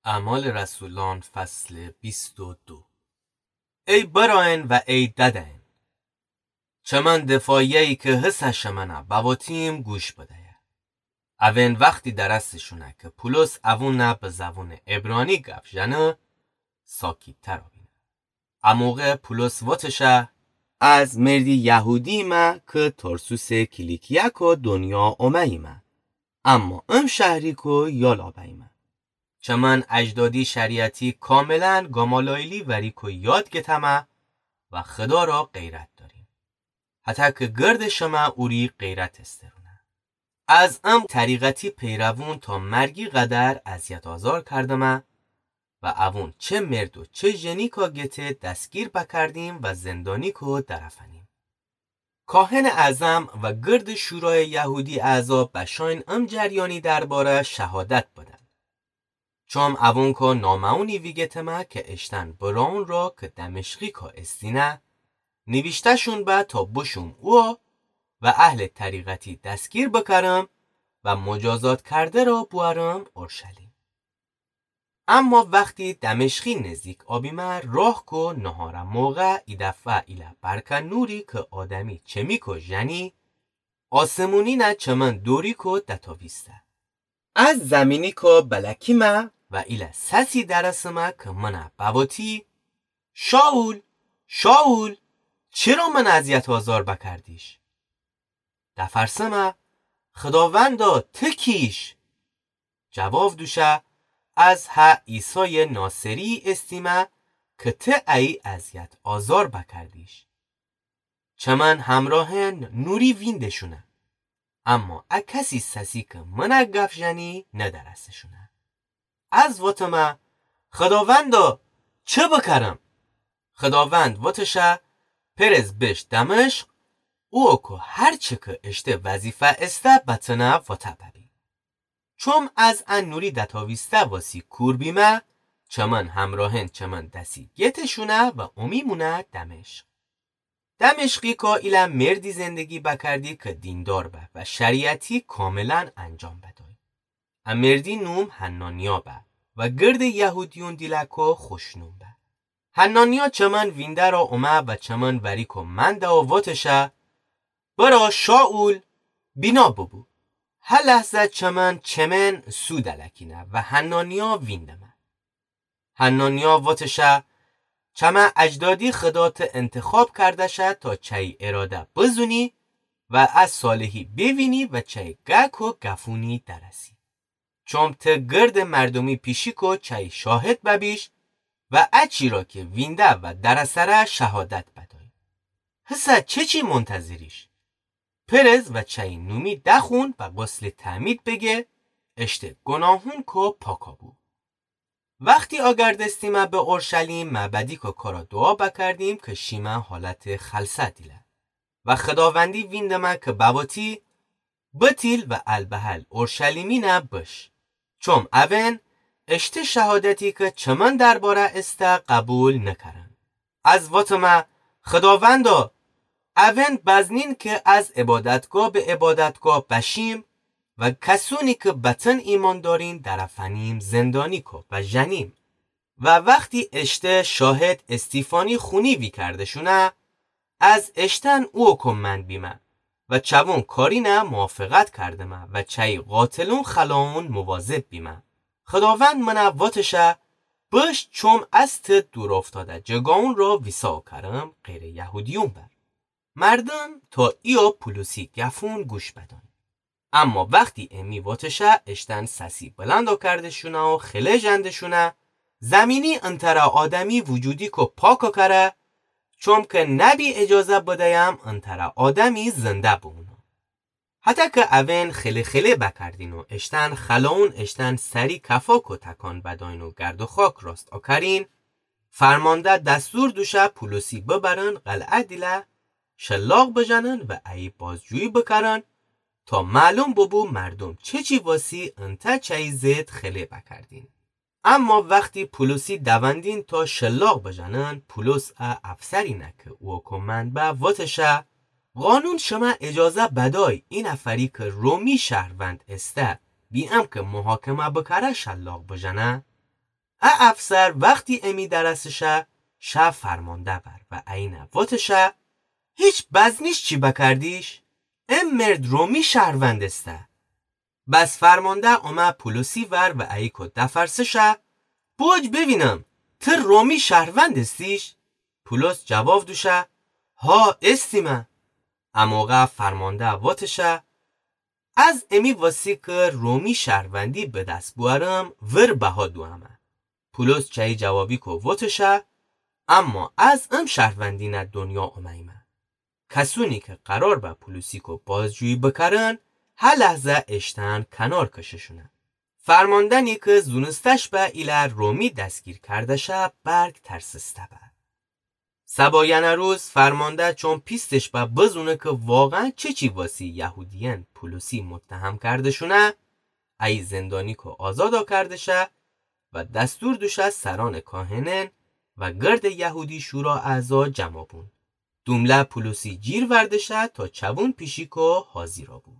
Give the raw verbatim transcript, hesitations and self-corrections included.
اعمال رسولان، فصل بیست و دو. ای برأیین و ای ددأیین، چمن دفاعیه‌یی که هسه شمنه بوتیم گوش بدیه. اوین وختی درستشونه که پولس اوونه به زوونٚ عبرانی گپ ژنه، ساکیت‌تر بینه. ا موقع پولس وتشه: از مردی یهودی‌ییمه که ترسوسٚ کیلیکیه کو دونیا اومه‌ییمه، اما ام شهریکو یال آبه‌ییمه. چمن اجدادی شریعتی کاملاً گامالایلی وریکو یاد گتمه و خدا را غیرت دأریم، حتی که گردٚ شمه اوری غیرت استرونه. از ام طریقتی پیروون تا مرگی قدر اذیت آزار کردمه و اوون چه مرد و چه ژنیکا گته دستگیر بکردیم و زندانیکو درفنیم. کاهنٚ اعظم و گردٚ شورایٚ یهودی اعضا بشاین ام جریانی درباره شهادت بدن. چوم اوونکو نامه‌یونی ویگتمه که اشتن برأون را که دمشقیکا استینه، نیویشته‌شون به تا بشوم اووا و اهلٚ طریقتی دستگیر بکرم و مجازات کرده را بوأرم اورشلیم. اما وختی دمشقی نزدیک آبیمه، راه کو نهارٚ موقع ایدفعه ایله برکه نوری که آدمی چمیکو ژنی، آسمونی نه چمن دوریکو دتاویسته. از زمینیکو بلکیمه و ایله سسی درسمه که منه بوتی: شائول، شائول، چره من اذیت آزار بکردیش؟ دفرسمه: خداوندا، ته کیش؟ جواب دوشه: از هه عیسایٚ ناصری استیمه که ته ایی اذیت آزار بکردیش. چمن همراهن نوری وینده‌شونه، اما ا کسی سسی که منه گپ ژنی ندرسه‌شونه. از وتمه: خداوندا، چه بکرم؟ خداوند وتشه: پرز بش دمشق، اوکو هرچه که اشته وظیفه ایسته بتنه وته ببی. چوم از ا نوری دتاویسته واسی کور بیمه، چمن همراهن چمن دسی گته‌شونه و اومیمونه دمشق. دمشقیکا ایله مردی زندگی بکردی که دیندار به و شریعتی کاملاً انجام بدأی. ا مردی نوم حنانیا به و گردٚ یهودیون دیلکو خوشنوم به. حنانیا چمن وینده را اومه و چمن وریکو منده و وتشه: برا شائول بینا ببو. هه لحظه چمن چمن سو دلکینه و حنانیا ویندمه. حنانیا وتشه: چمه اجدادی خدا ته انتخاب کرده‌شه تا چه‌یی اراده بزونی و ا صالحی بیوینی و چه‌یی گک و گفونی درسی. چوم ته گردٚ مردومی پیشیکو چه‌یی شاهد ببیش و ا چی را که وینده و درسره شهادت بدأی. هسه چه چی منتظریش؟ پرز و چه‌یی نومی دخون و غسلٚ تعمید بگه، اشته گناهونکو پاکا بو. وختی آگردستیمه به اورشلیم، معبدیکو کارا دوعا بکردیم که شیمه حالتٚ خلسه دیله. و خداوندی ویندمه که بوتی: بتیل و البهل اورشلیمی نه بش. چوم اوین اشته شهادتی که چمن درباره ایسته قبول نکرن. از وتمه: خداوندا، اوین بزنین که از عبادتگاه به عبادتگاه بشیم و کسونی که بتن ایمان دارین درفنیم زندانی کو و ژنیم. و وختی اشته شاهد استیفانی خونی ویکرده‌شونه، از اشتن اوکو من بیمه و چوون کارینه موافقت کردمه و چه‌یی قاتلون خلاون مواظب بیمه. خداوند منه وتشه: بش، چوم از ته دورافتاده جگاون را ویسا کرم غیرٚ یهودیون بر. مردم تا ایو پولوسی گفون گوش بدن. اما وختی امی وتشه، اشتن سسی بلندا کرده‌شونه و خله ژنده‌شونه: زمینی انتره آدمی وجودی کو پاکا کره، چوم که نبی اجازه بدیم انتره آدمی زنده بمونه. حتی که اوین خله خله بکردین و اشتن خلاون اشتن سری کفا کو تکان بداین و گرد و خاک راست آکرین، فرمانده دستور دوشه پولوسی ببرن قلعه دیله، شلاق بژنن و ایی بازجویی بکرن تا معلوم ببو مردم چه چی واسی انته چه‌یی ضد خله بکردین. اما وختی پولوسی دوندین تا شلاق بژنن، پولوس ا افسرینه که اوکو من به وتشه: قانون شمه اجازه بدای ای نفری که رومی شهروند ایسته، بی ام که محاکمه بکره شلاق بژنه؟ ا افسر وختی امی درسه شه، شه فرمانده ور و اینه وتشه: هیچ بزنیش چی بکردیش؟ ام مرد رومی شهروند استه. بس فرمانده اومه پولوسی ور و ایکو دفرسه شه: بوج بوینم، ته رومی شهروند استیش؟ پولوس جواب دوشه: ها، استیمه. ا موقع فرمانده وتشه: از امی واسی که رومی شهروندی به دس بوارم، ور بها دوهمه. پولوس چایی جوابیکو وتشه: اما از ام شهروندینه دنیا اومهیمه. کسونی که قرار به پولوسیکو بازجویی بکرن، هه لحظه اشتن کنار کشه‌شونه. فرماندنی که زونستش به ایله رومی دستگیر کرده شه، برگ ترسسته به. سبا یانه روز فرمانده چون پیستش به بزونه که واقعاً چه چی واسی یهودیأن پولوسی متهم کرده‌شونه، ای زندانیکو آزادا کرده شه و دستور دوشه سرأن کاهنأن و گرد یهودی شورا اعضا جمع بون. دومله پولوسی جیر ورده شه تا چوون پیشیکو حاضیرا بو.